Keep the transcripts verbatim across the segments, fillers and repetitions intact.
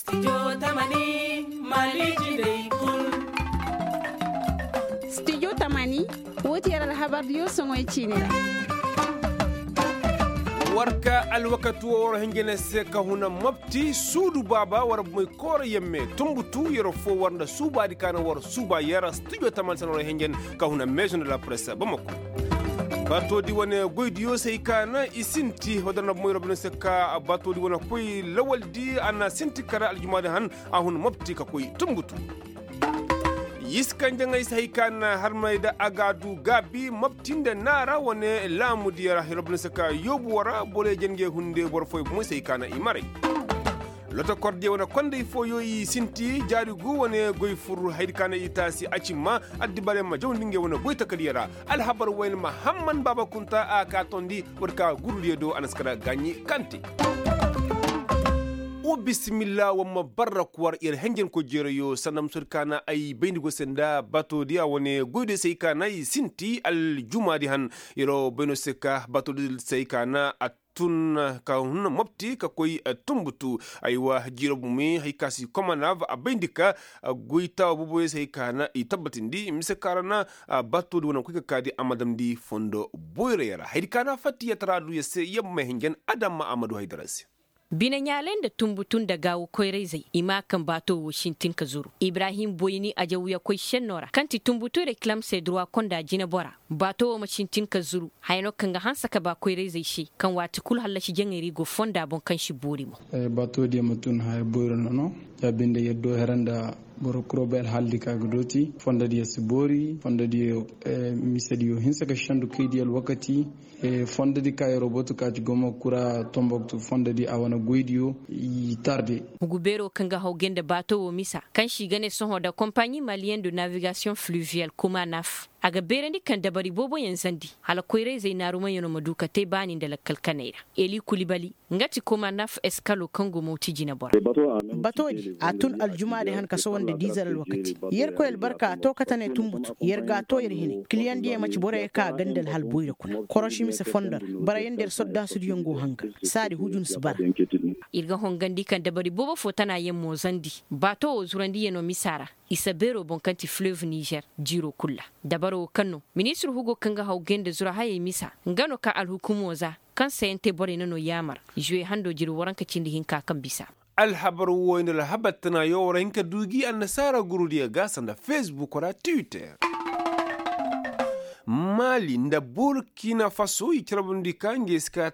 Studio tamani, woo ti yer alhabardiyo soŋoy ciini ra. War ka alwakati woo war hinja ne se ka huna mopti suudu baaba war boy koora yemme tumbutu yer foo war nda suubaadi ka na war suuba yer studio tamani se na war hinja ne ka huna meezo nda la presse bamako. Baatoodi wane goydiyo se hay ka na i sinti woo dar na boy yer boy ne se ka baatoodi wane koy lawaldi a na sinti kara aljumaadi han a hun mopti ka koy tumbutu. Yiskanjaŋey se hay ka na harmey nda a ga a du gaabi mopti nda naara wane laamudiyo ra yer boy ne se ka yoobu woo ra borey janjey hunde boro fooyey bomoy se hay ka na i maray. Lotokordiyo wane kondey fooyo i sinti jaari gu wane goy fur hayadi ka na i taasi a cimma addibarey ma jawndi ngey wane goy takadiyo ra. Alhabar wayne mahamman baaba kunta a ka tondi war ka gurudiyo do a na si kara gaaɲi kante. Wa bisimilla wa ma barra kuwar yer henjenkoy jeerayo sanda musodi ka na ay bayndi go se nda baatoodiya wane goydiyo se ay ka na i sinti aljumaadi han. Yer bayno se ka baatoodiyo se ay ka na a tun ka hun mopti ka koy tumbutu. Aywa jiiro bumi hay ka si komanav a bayndi ka goytaawa booboyo se hay ka na i tabbatindi mise ka ra na baatoodi wane koy ka kaadi a ma damndi fondo boyray ra haydi ka na fatti yatara du yer se yer ma may hinjan adama a ma du haydara se. Bine ɲaalay nda tumbutu nda gaawo koyrayzey i ma a kaŋ baato wo sintin ka zuru ibrahim boyni ajawyakoy senno ra kaŋ ti tumbutu reklam se durwa konda jinebora. Baato wo ma sintin ka zuru haya no kaŋ ga hanse ka ba koyrayzey se kaŋ waati kulu hallasi jaŋay ra i go fonda boŋ kaŋ si boori mo. Baatodiyo ma tun haya boyro nono. Ya binde yer do here nda boro kuro bay alhaaldi kaŋ a ga dooti fondodiyo si boori fondodiyo misediyo hinse ka sendu kaydiyo alwakati. Fondodi ka yeroo batu ka ci gomo kura tomboktu fondodi a wane goydiyo i tarde. Hugu beeroo kaŋ ga haw gay nda baato wo misa kaŋ se i ga ne sohõ nda kompaɲi maliyen de navigasiyoŋ fluviyal kuma naf a ga beerandi kaŋ dabari booboyaŋ zandi hala koyrayzey naarumayaŋo ma du ka te baani nda lakkal kaney ra. Eli kulibali nga ti kuma naf eskalo kaŋ go mawti jinebora. Batoodi a tun aljumaadi han ka sohõ nda diizer alwakati yerkoy albarka a to kate ne tumbutu yer ga a to yer hine kiliyaŋ diyaŋ ma ci boroyaŋ ka a ganda alhal boyra kuna korosi mise fondo ra barayaŋ da yer soddaasudiyaŋ go hanga saadi hujun si bara. Ir ga hongandi kaŋ dabari boobo fo tanayaŋ mo zandi baato wo zurandiyaŋo misa ra isa beero boŋ kaŋ ti fleuve nizer jiiro kul ra. Dabaro wo kaŋ no ministir hugo kaŋ ga haw gay nda zura hayey misa nga no ka alhukumo za kaŋ sayaŋ te borey na no yaamar zuwe hando jiri waranka cindi hinka kaŋ bisa. Alhabar wooyo nda alhabar tanayo war hin ka du gi annasaara gurudiyo ga sanda fesbuk ra twitter. Maali nda burkina faso i carbundi ka ngey si ka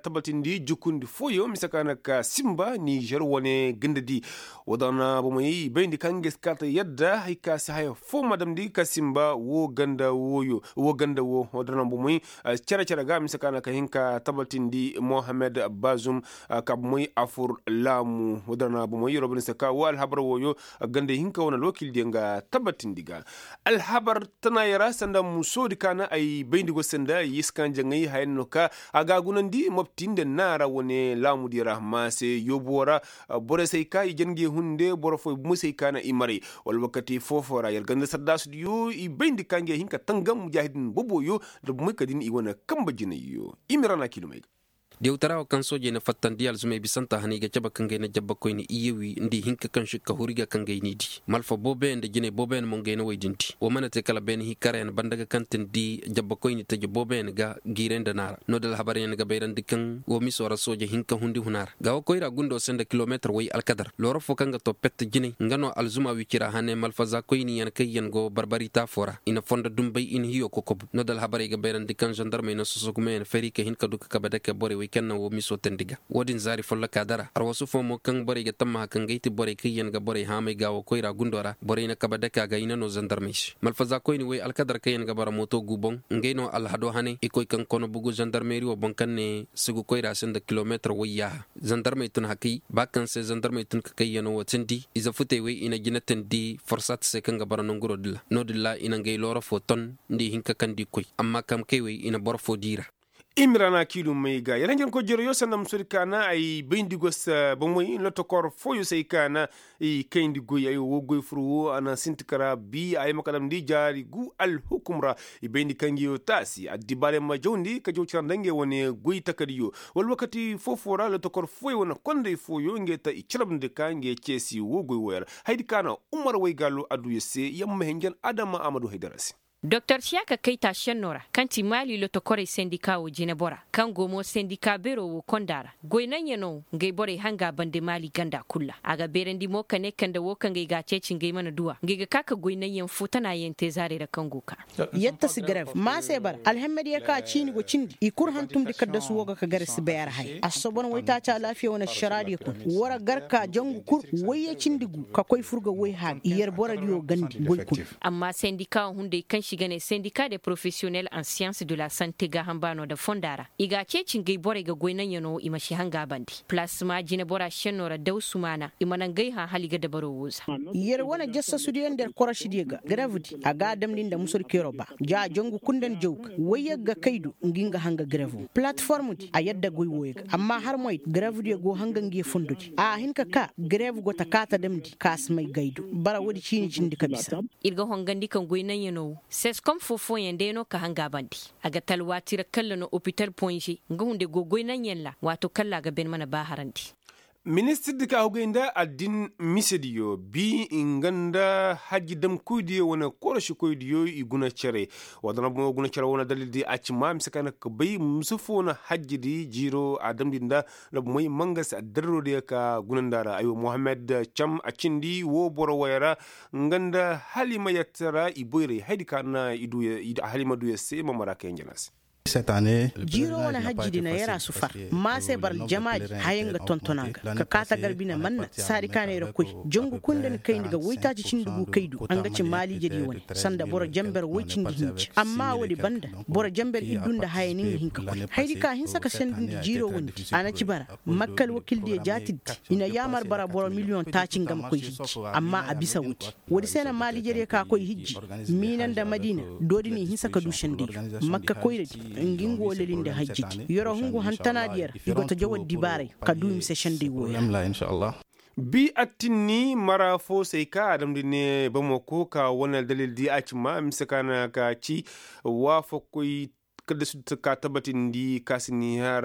tabatindi jukundi fooyo mise ka na ka simba nizer wane gandadi. Woo da na bomey i bayndi ka ngey si ka ta yadda hay ka si haya foo ma damndi ka simba woo ganda wooyo woo ganda woo woo da na bomey cere cere ga mise ka na ka hin ka tabatindi mohammed bazum. Ka bomey a fur laamu woo da na bomey robin se ka woo alhabar wooyo ganda hinka wane alwakildiyo nga tabatindi ga. Alhabar tanaayey ra sanda musoodi ka na ay bayndi go se nda yiskanjaŋey haya no ka a ga a gunandi mopti nda naara wane laamudiyo ra maase yoobuwo ra. Borey se ay ka i jangey hunde boro fooyo bumey se ay ka na i maray. Wala wakati foofo ra yer ganda sardaasudiyo i bayndi ka ngey hin ka tangam mujaahidin boboyo nda bumey ka din i wane kamba jinayyo i ma ra na kiilumey ga. Diyawtara wo kaŋ soojey na fattandi alzumey bisanta hanay ga cabe ka ngey na jabbakoyni iyewi nda i hinka kaŋ si ka huri ga ka ngey n'i di malfa booboyaŋ nda jinay booboyaŋ mo ngey na woy din di wo mana te kala beene hikarayaŋ banda ga kaŋ tindi jabbakoyni taji booboyaŋ ga giiray nda naara no-din alhabaryaŋ ga bayrandi kaŋ wo miso ra sooje hinka hundi huna ra gaawo koyra gundo se nda kilomeetar way alkadar looro fo kaŋ ga to pet jinay nga no alzuma wicira hane malfaza koyniyaŋ kaŋ yaŋ go barbari taafo ra i na fondo dumbay i na hiyo kokobu no-din alhabarey ga bayrandi kaŋ zandarmey na soso gumayaŋ fari ka hin ka du ka kabe dake borey wey kaŋ na wo miso tandi ga wo-din zaari folloka dara arwasu fo mo kaŋ borey ga tammaha kaŋ gay ti borey kaŋ yaŋ ga borey haamay gaawo koyra gundo ra borey na kabe dake a ga i na no zandarmey se malfaza koyni wey alkadar kaŋ yaŋ ga bara mooto gu boŋ ngey no alhado hane i koy kaŋ kono bugu zandarmeri wo boŋ kaŋ ne sugu koyra se nda kilomeetar way yaaha zandarmey tun hakay ba kaŋ se zandarmey tun ka kay yano wo tindi ize futey wey i na jina tandi forsat se kaŋ ga bara nanguro din ra no-din ra i na ngey looro fo ton nda i hin ka kaŋ di koy amma kamkey wey i na boro fo di i ra. Imrana kiilu may ga yar hanjankoy jereyo sanda musodi kaana ay bayndi gos bomey lotokor fooyo se ay kaana i kayndi goy ay wo goy fur wo a na sinti kara bi ay ma ka damndi jaari gu alhukum ra. I bayndi kaŋ ngi yo taasi addibaarey ma jawndi ka jaw cira nda ngey wane goy takadiyo wala wakati foo-foo ra lotokor fooyo wane konday fooyo ngey ta i carabndi ka ngey ceesi wo goy wo ya ra. Hayadi kaana umar waygaalo adduya se yamma hinjan adama amadu haydara se. Doktor siyaka kayta šenno ra kaŋ ti maali lotokorey sendika wo jinebora kaŋ go mo sendika beero wo konda ra goy naŋyano ngey borey hanga bande maali ganda kul ra a ga beerandi mo ka ne kande wo kaŋ gay ga a ceeci ngey mana duw'a ngey ga ka ka goy naŋyaŋ foo tanayaŋ te zaarey ra kaŋ go ka. Yatta si garev maase bara alhemmediyo kaŋ a ciini go cindi i kul hantumndi kaddasu wo ga ka gare si bay a ra haya a si sobon waytaaci alaafiya wane ašaraadiyo kuna war gar ka jangu kul wayye cindi gu ka koy fur ga way haari yer borodiyo gandi goy kul. Amma sendika wo hunday kaŋ se i ga ne sendika de profesiyonel en siyans de la sante gaaham baano nda fonda ra i ga a ceeci ngey borey ga goy naŋyano i ma si hanga bande palasma jinebora šenno ra daw sumaana i mana ngey hã hala i ga dabaro wo za. Yer wane jassasudiyo nda yer korosidiyo ga garevdi a ga a damndi nda musur keero ba ja jangu kul nda ni jaw ga wayye ga kay do ngi nga hanga garevo palatformdi a yadda goy wooyo ga amma har moy garevdiyo go hanga ngi ye fondodi a hin ka ka garev go ta kaata damndi ka si may gay do bara woodi ciini cindi ka bisa. Ir ga hongandi kaŋ goy naŋyanoo wo seskom foo-fooyaŋ day no ka hanga bandi a ga talwaati ra kalla no opital ponze nga hunday go goy naŋyaŋ ra waatoo kalla a ga ben mana baaharandi. Ministirdi ka hugay nda addin misediyo bi nga nda hajji damkoydiyo wane korosikoydiyo i guna cere. Wala nda bomo guna cere wane dalildi a ci ma mise ka na ka bay mise foo na hajjidi jiiro a damndi nda nda bomey mangasi addarrodiyo ka gunandi a ra aywa mohammed cam a cindi woo boro waya ra. Nga nda hala i ma yatta ra i boyray hayadi ka na i du ya se ma mara kay njana se. Jiiroo wane hajjidi na yar a si far ma se bara aljamaadi haya nga tonton a ga ka kaa tagar bine manna saadi ka na yar koy jangu kul nda ni kayndi ga woytaaci cindi gu kay du nga ci maaliijediyo wane sanda boro jamber woy cindi hinja amma woodi banda boro jamber iddu nda haya ni nga hin ka koy hayadi ka hinsa ka sendindi jiiroo wondi a na ci bara makka alwakildiyo jaatiddi i na yaamar bara boro miliyoŋ taaci nga ma koy hijji amma a bisa woodi. Woodi se na maaliijediyo ka koy hijji miina nda madiina doodi n'i hinsa ka du sendey makka koyradi nga nga wo lelinde hajjidi yer'o hungu hantanaadiyo ra i go ta jaw addibaaray ka du i ma se sendey wooyo ra. Bi attinni mara foo se ay ka a damndi ne bamako ka wane aldalildi a ci ma mise ka na ka ci waafakoy kadda si du ka tabatindi ka si ni har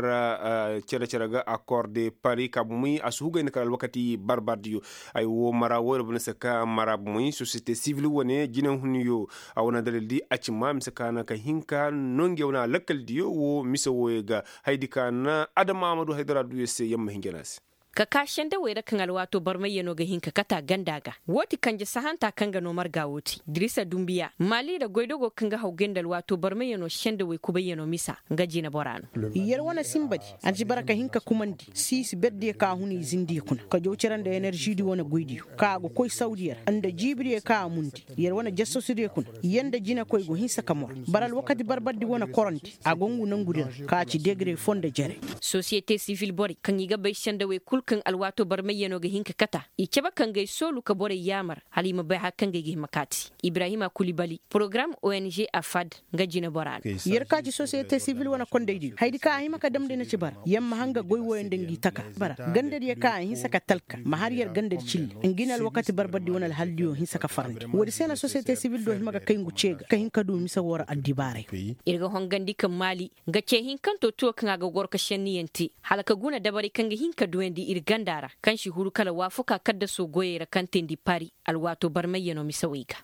cere-cere ga akorde pari ka bumey a si hugay nda kala alwakati barbardiyo. Ay wo mara wo yer bane se ka mara bumey sosiyete sivil wane jinehunyo a wane dalildi a ci ma mise ka na ka hinka no ngey wane alakkaldiyo wo mise wooyo ga hayadi ka na adama amadu haydara duyo se yamma hinja no a se. Ka kaa sendawey ra kaŋ alwaatoo barmayyanoo ga hin ka kat'a ganda ga woo ti kanje sahanta kaŋ ga noo marga woo ti dirisa dumbiya maali ra goydogoo kaŋ ga haw gay nda alwaatoo barmayyanoo sendawey kubayyanoo misa. Nga jineboraa no. Yer wane sinbadi a na ci bara ka hin ka kumandi siisi berdiyo ka hun i zindiyo kuna ka jaw cere nda eneržidi wane goydiyo ka a go koy sawdiyo ra nda jiibidiyo ka a mundi yer wane jassasudiyo kuna yer nda jinekoy go hinsa ka mor. Bara alwakati barbardi wane korandi a go ngu nangudi ra ka ci degre foo nda jere. Sosiyete sivil borey kaŋ i ga bay sendawey kul kaŋ alwaatoo barmayyanoo ga hin ka kat'a i cabe ka ngey soolu ka borey yaamar hala i ma bay hara kaŋ ga ay ga hima kaati. Ibrahima kulibali porogaram ong afad nga jineboraa no. Yer ka ci sosiyete sivil wane kondaydiyo hayadi kaŋ a hima ka damndi na ci bara yer ma hanga goy wooyo nda ngi taka bara gandadiyo kaŋ a hinsa ka talka ma har yer gandadi cille ngi na alwakati barbardi wane alhaldiyo hinsa ka farandi woodi se na sosiyete sivil do hima ga kay ngu cee ga ka hin ka du mise woo ra addibaaray. Ir ga hongandi ka maali nga cee hinkantoo tuwo kaŋ a ga goro ka šenniyaŋ te hala ka guna dabaray kaŋ ga hin ka duyandi ir ganda ra kaŋ si huru kala waafakaa kaddasoo goyey ra kaŋ teendi pari alwaatoo barmayyanoo misewey ga.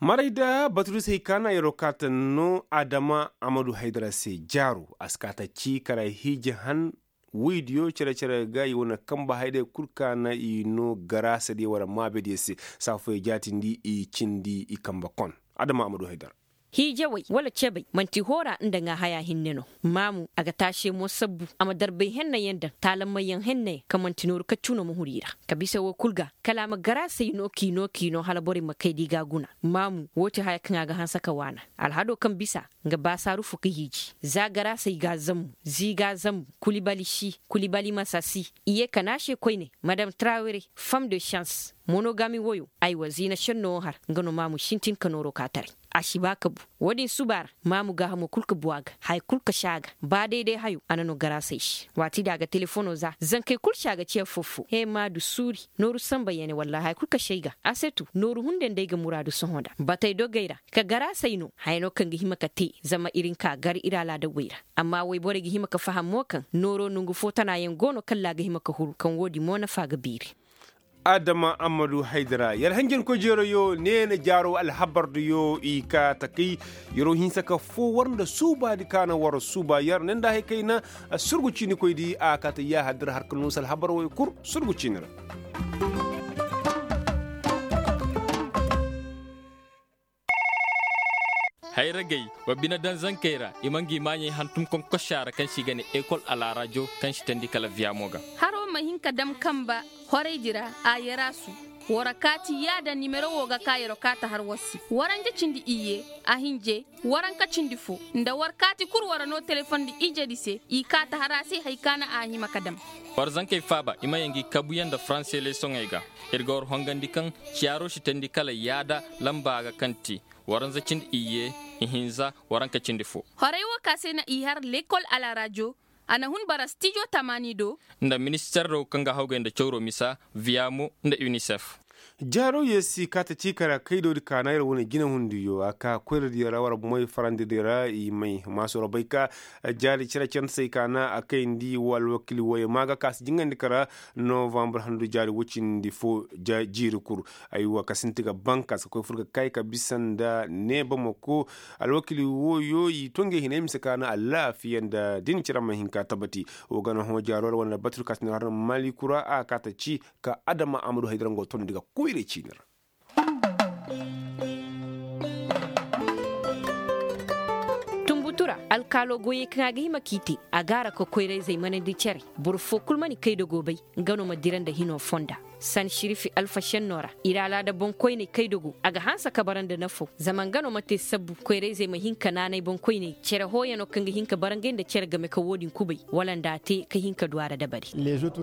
Maray da baturisey kaana yeroo kaata no adama amadu haydara se jaaru a si kaata ci kara hiiji han woydiyo cere-cere ga i wane kamba hayday kul kaana i no garaasadiyo wala maabediyo se. Saafoyey jaatindi i cindi i kamba kon adama amadu haydara. Hiijawey wala cebey man'ti hoora nda ŋaahayaa hinne no. Maamu a ga taasee mo sabbu a ma darbay hennayaŋ daŋ taalammayyaŋ hennayaŋ kaŋ man'ti nooru kaccu no ma huru i ra ka bisa woo kul ga kala a ma garaasey noo k'i noo k'i noo hala borey ma kay da i g'a guna. Maamu woo ti haya kaŋ a ga hanse ka waana alhadoo kaŋ bisa nga baasaaru fo ka hiiji za garaasey g'a zammu zii g'a zammu kulibali si kulibali masa si i yee ka naasee koyne madam trawere fam de šans. Monogami woyo, aywa ziina šenno wo har nga no maamu sintin ka nooro ka taray. A si ba ka bu. Wo-din suba ra, maamu gaahamo kul ka bu a ga, haya kul ka si a ga. Ba day-day hayo a na no garaasey se. Waati da a ga telefono za zankey kul si a ga ci affoo-foo he ma du suuri. Nooru sanba yene wallaahi haya kul ka si ay ga. A se tu nooru hunday nda ay ga muraadu sohõ nda batey dogey ra. Ka garaasey no haya no kaŋ ga hima ka te zama ir nka gar ir alaadawey ra. Amma woyborey ga hima ka faham mo kaŋ nooro nongu foo tanaayaŋ go no kalla a ga hima ka huru kaŋ wo-din mo nafa ga biiri. Adama ammadu haydara yer hanjankoy jeeroyo neena jaaro alhabardiyo i kaa takay. Yeroo hinsa ka foo war nda suubaadi ka na war suuba yer ne nda hay kayna. Surgu ciinikoydi a kaa ta yaahadir har ka nuusu alhabar woy kul. Surgu ciini ra. Hayragey, wa bine daŋ zankey ra i ma ngi maaɲey hantum konkosa ra kaŋ se i ga ne ekol alaarajo kaŋ si teendi kala viyamo ga. Haro ma hin ka dam kamba horaydi ra. Ayaraasu, war kaati yaada nimero wo ga ka yero kaata har war se waranja cindi iyye, a hinje, waranka cindi fo, nda war kaati kul war no telefondi ijedi se i kaata har a se hari ka na a hima ka dam. War zankey faaba i ma yaŋ ngi kabuyaŋ nda faranse leesoŋey ga. Ir ga war hongandi kaŋ ciyaaro si teendi kala yaada lamba ga kaŋ ti, waranza cindi iyye, ihinza, waranka cindi fo. Horay wo ka se na i har lekol alarajo. A na hun bara stijo tamaani do. Nda minister do kaŋ ga hawgay nda cawro misa, viyamo, nda unicef. Jaaro yee si kaata ciika ra kaydo di kaana yer wane jinehundiyo a ka koyradiyo ra war moy farandi di ra i may maasu ra bay ka jaari cere cere se i kaana a kayndi wo alwakili wooyo ma ga ka si jingandi kara. Novambar handu jaari woy cindi fo jiiri kul. Aywa ka sinti ga bankas ka koy fur ga kay ka bisa nda neeba mako. Alwakili wooyo i to ngey hinay mise kaana alaafiya nda din cere ma hin ka tabati. Wo gana hõ jaaro ra wane batur ka sinti har malikura a kaata ci ka adama amadu haydara ngo tondi ga koyray ciini ra. Tunbutu ra alkaalo goyey kaŋ a ga hima k'i te a gaara ka koyrayzey manandi care. Boro foo kul mana kaydogo bay nga no ma dira nda hino fonda. San sirifi alfa šenno ra ir alaada boŋkoyney kaydogo a ga hanse ka bara nda nafo zama nga no ma te sabbu koyrayzey ma hin ka naanay boŋkoyney cere hooyano kaŋ ga hin ka bara ngey nda cere game ka wo-din kubay wala nda a te ka hin ka du a ra dabari.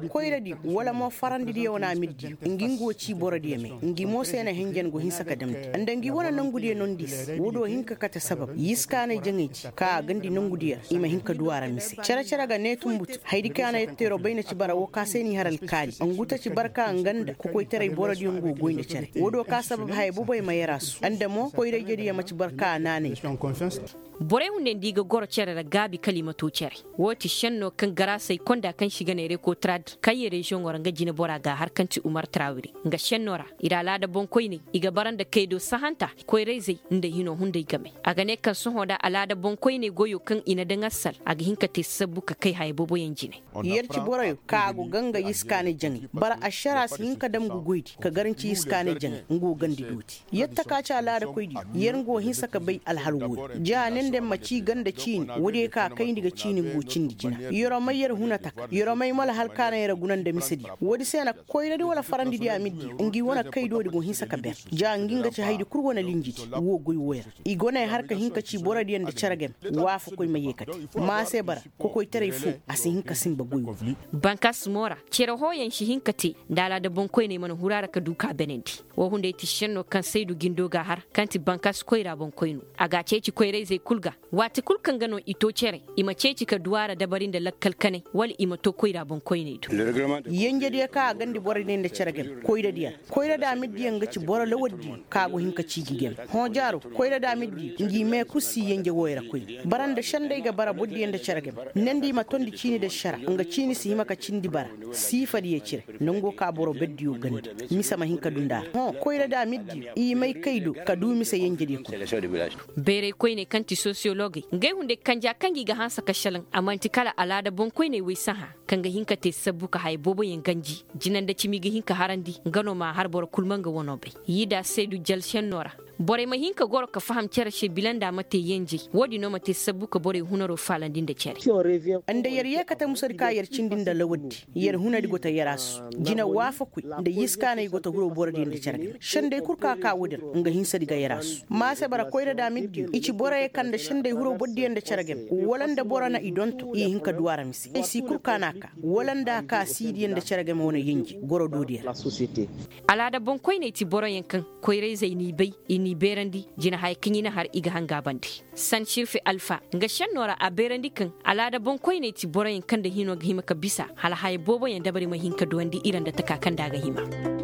Koyradiyo wala mo farandidiyo wane amirdiyo ngi nga go ci borodiyo me. Ngi mo se na hinjan go hinsa ka damndi nda ngi wane nongudiyo nondi se wo-do hin ka kate sabab yiskaanay jaŋey ci ka a gandi nongudiyo ra i ma hin ka du a ra mise cere-cere ga ne tunbutu hayadi kaŋ a na yatteeroo bay na ci bara wo ka se n'i har alkaali ngu ta ci barka nga nda kokoytaray borodiyo ngu goy nda cere wo-do ka sabab haya boboy ma yaraasu nda mo koyra-ijediyo ma ci barka a naanay. Borey hunday nda i ga goro cere ra gaabi kala i ma too cere. Woo ti šennoo kaŋ garaasey konda kaŋ se i ga ne rekotrad kayye reziyoŋo ra nga jineboraa ga a har kaŋ ti umar trawire. Nga šennoo ra ir alaada boŋkoyney i ga bara nda kaydo sahanta koyrayzey nda hinoo hunday game. A ga ne kaŋ sohõ nda alaada boŋkoyney goyoo kaŋ i na daŋ assal a ga hin ka te sabbu ka kay haya booboyaŋ jine. Yer ci boroyo kaŋ a go ga nga yiskaanay jaŋay bara ašaraa si hin ka dam ngu goydi ka garanci yiskaanay jaŋay nga wo gandi dooti. Yer taka ci alaadakoydiyo yer nga wo hinsa ka bay alhal woodi ja ne nda ma ci ganda ciini woodiyo kaŋ a kayndi ga ciini nga wo cindi jina. Yeroo may yer huna taka yeroo may malahal kaŋ a na yer guna nda misediyo woodi se na koyradi wala farandidiyo amirdiyo ngi wane kaydoodi go hinsa ka ber ja ngi nga ci haydi kul wane linjidi wo goy woy ra. I go ne har ka hin ka ci borodiyo nda cere game. Waafakoy ma yeekate ma a se bara kokoytaray foo a si hin ka sinba goy wo. Bankas mo ra cere hooyaŋ si hin ka te nda alaada boŋkoyney mana huru a ra ka du ka benandi. Woo hunday ti šennoo kaŋ saydu jindo ga a har kaŋ ti bankas koyra boŋkoynoo a ga a ceeci koyrayzey kul ga. Waati kul kaŋ ga no i too cere i ma ceeci ka du a ra dabari nda lakkal kanay wala i ma too koyra boŋkoyney do. Yenjediyo kaŋ a gandi borodiyo nda cere game koyradiyo ra koyradi amirdiyo nga ci boro lawardiyo kaŋ a go hin ka ci ngi game. Hõ jaaro koyradi amirdiyo ngi mee kul si yenje wooyo ra koyne bara nda šenday ga bara bordiyo nda cere game. Nandi i ma tondi ciini nda šara nga ciini si hima ka cindi bara. Siifadiyo cire nango ka boro berdiyo ganda mise ma hin ka du nda a ra hõ koyradi amirdiyo i may kaydo ka du mise yenjediyo kul. Beeray koyney kaŋ ti sosiyologey ngey hunday kanja kaŋ gi ga hanse ka šelaŋ a man'ti kala alaada boŋkoyney woy sahã kaŋ ga hin ka te sabbu ka haya booboyaŋ ganji. Jina nda cimi ga hin ka harandi nga no m'a har boro kul ma nga wanoo bay. Yiida saydu jal šennoo ra. Borey ma hin ka goro ka faham cere se bila nda a ma te yenjey. Wo-din no ma te sabbu ka borey hunaroo faalandi nda cere. Nda yer yee kate musadi ka yer cindi nda lawaddi, yer hunadi go ta yer a su. Jina waafakoy nda yiskaanay go ta huroo borodiyo nda cere game. Sendey kul ka ka woodi ra nga hinsadi ga yer a su. Maase bara koyra da a ma ir diyo i ci boroyo kaŋ nda sendey huroo borodiyo nda cere game, wala nda boro na i donto i hin ka du a ra mise ay si kul ka n'a ka, wala nda a ka siidiyo nda cere game wane yenje goro doodiyo ra. Alaada boŋkoyney ti boroyaŋ kaŋ koyra-izey n'i bay, i n'i beerandi jina haya kaŋ i na har i ga hanga a bande. San sirfe alfa nga šennoo ra a beerandi kaŋ alaada boŋkoyney ti boroyaŋ kaŋ nda hinoo ga hima ka bisa hala haya booboyaŋ dabari ma hin ka duwandi ira nda taka kaŋ nda a ga hima.